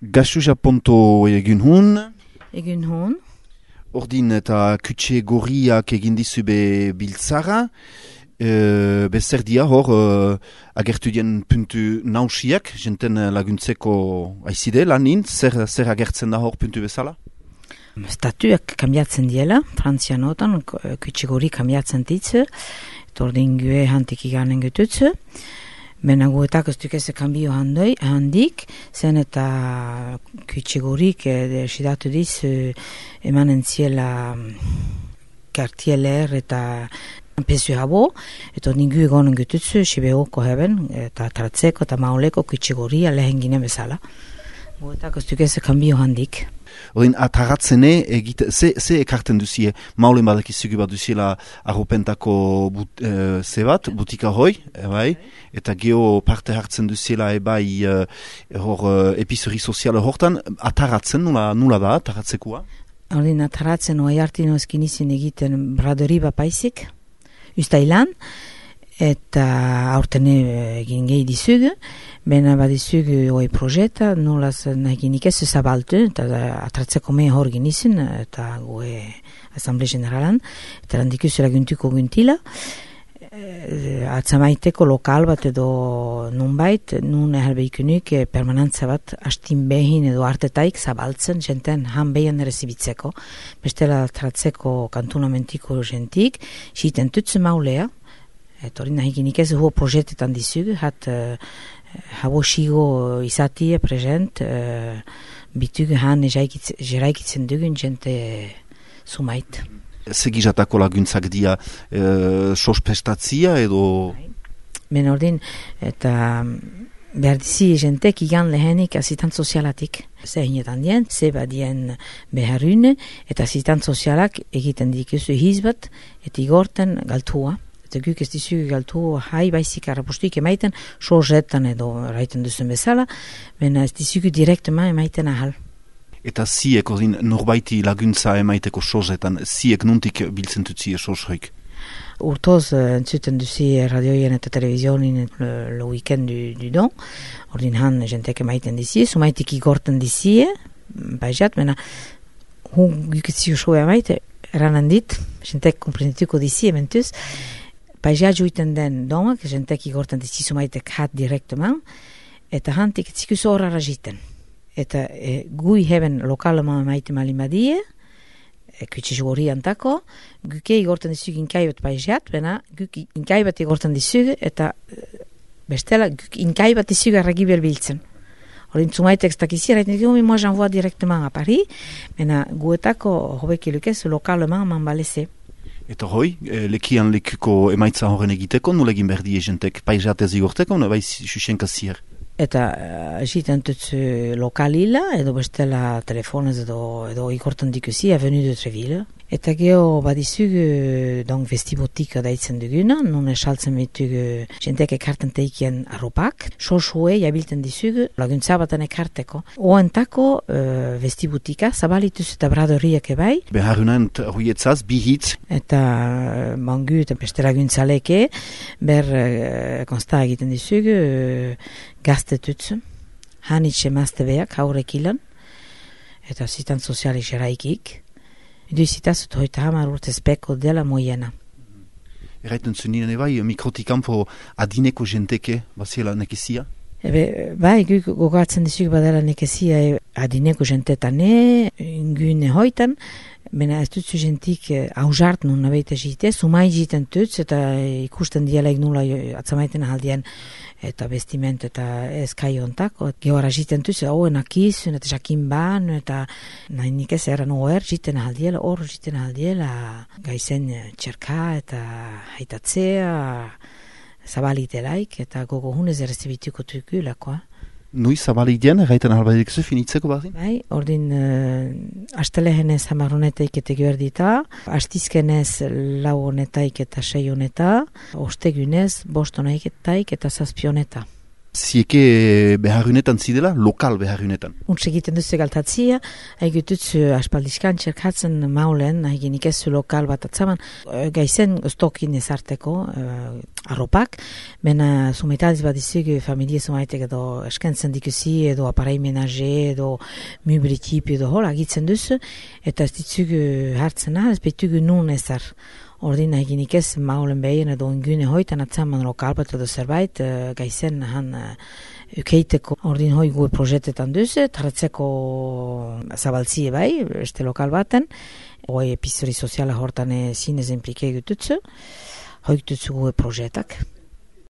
Gaxu Japonto egin hun, Egun hon, ordin eta kutxe gorriak egin dizu be biltzara, bezer dia hor agertu dien puntu nausiak, jenten laguntzeko aizide lanin, zer agertzen da hor puntu bezala? statuak kambiatzen diela, frantzianotan, kutxe gorri kambiatzen ditzu, eta ordin gue hantik iganen gututzu. Bena guetak ez dukese kambio handik, zen eta kutxe gorrik sidatu diz emanen ziela kartieler eta pesu habo, eta ningu egonen gututzu, sibeoko heben, eta tratzeko eta mauleko kutxe gorria lehen gine bezala. Guetak ez dukese kambio handik. Ordin, ataratzene, ze ekarten duzie, maulen badakizugu bat duziela arropentako butika hoi, bai, eta geho parte hartzen duziela ebai episori soziala hortan, ataratzen, nula da, ataratzekoa? Ordin, ataratzen oai hartino ezkin izin egiten bradori bapaizik, ustailan, eta aurten egin gehi dizugu, bena badizugu oi projeta, nolaz nahikinik ez zabaltu, eta atratzeko me hor genizun, eta goe Asamble Generalan, eta landikuzu laguntuko guntila, atzamaiteko lokal bat edo nunbait, nun ehalbeikunik permanentza bat astin behin edo artetaik zabaltzen jenten han behin rezibitzeko, bestela atratzeko kantunamentiko jentik, xiten tutzu maulea, eta hori nahikinik ez huo projetetan dizugu, habo xigo izatie present, bitugu han jeraikitzen dugun jente sumait. Segizatako laguntzak dia sospestatzia edo... Ben ordin, eta behar dizi jentek igan lehenik asitant sozialatik. Zehinetan dien, zeba dien beharune, eta asitant sozialak egiten dikuzu hizbat, eta igorten galtua. Eta guk ez dizugu galtu hai baizik arrapostuik emaiten, sorzetan edo raiten duzun bezala, bena ez dizugu direktema emaiten ahal. Eta ziek, ordin, norbaiti laguntza emaiteko sorzetan, ziek nuntik biltzen dutzie sorshoik? Urtoz entzuten duzi radioien eta televizionin le weekend du don, ordin han jentek emaiten dizie, sumaitik igorten dizie, baizat, bena guk ez ziu emaite, eranan dit, jentek komprenituko dizie mentuz, Paizia juiten den domak, jentek igorten dizizu maitek hat direkteman, eta hantik etzikuzu horara jiten. Eta gui heben lokaleman maite malimadie, kutxe jugori antako, guke igorten dizugu inkaibat paiziat, bena guk inkaibat igorten dizugu, eta bestela guk inkaibat dizugu arragibel biltzen. Horin zumaitek ez dakizi, erraiten dizugu, moi j'envoie direkteman a Paris, bena guetako hobekilukez lokaleman man baleze. Eta hoi, lekian lekuko emaitza horren egiteko, nola egin behar die jentek paizatez igorteko, bai xuxenka zier? Eta egiten tutzu lokalila, edo bestela telefonez edo igortan dikusi, Avenue de Treville. Eta geho badizugu vestibotika daitzen duguna, nun esaltzen bitugu jentek ekarten teikien arropak, sorsue jabilten dizugu laguntza baten ekarteko. Oentako vestibotika zabalituz eta bradoriak ebai. Beharunant huietzaz, bihitz. Eta mangu eta beste laguntzaleke, ber konsta egiten dizugu gaztetutzu, hanitxe mazte beak haurekilan, eta zitan sozialik jeraikik. Edu izitazut hoita hamar urtez peko dela moiena. Erraiten zuninen ebai, mikrotikampo adineko jenteke, baziela nekizia? Bai, guk gogatzen dizuk badela nekezia adineko jentetane, ingune hoitan, bena ez dutzu jentik hausart nun nabeita jite, sumai jiten tutz, eta ikusten dialaik nula atzamaiten ahaldien eta bestiment eta eskai ontako. Gehora jiten tutz, hoenak izun, eta jakin ban, eta nahi nik ez eran jiten ahaldiela, hor jiten ahaldiela, gaizen txerka eta haitatzea, zabalitelaik, eta gogo hunez errezibituko tukulakoa. Nui zabalik dien, gaiten ahalbadik zu finitzeko bazin? Bai, ordin astelehenez hamarronetaik eta gehordita, astizkenez lau honetaik eta sei honeta, ostegunez bost honetaik eta zazpioneta. zieke beharrunetan zidela, lokal beharrunetan. Untz egiten duzu galtatzia, haigututzu aspaldizkan txerkatzen maulen, haigenik ez lokal bat atzaman, gaizen stokin ezarteko arropak, bena sumetadiz bat izugu familie sumaitek edo eskentzen dikusi, edo aparai menaje, edo mubritip, edo hor, agitzen duzu, eta ez ditzugu hartzen ez betugu nun ezar. Ordin eginik ez maulen behien edo ingune hoitan atzaman lokal bat edo zerbait, gaizen han ukeiteko. Ordin hoi gu projetetan duzu, tarratzeko zabaltzie bai, este lokal baten, hoi epizori soziala hortan zinez implike gututzu, hoi gututzu gu projetak.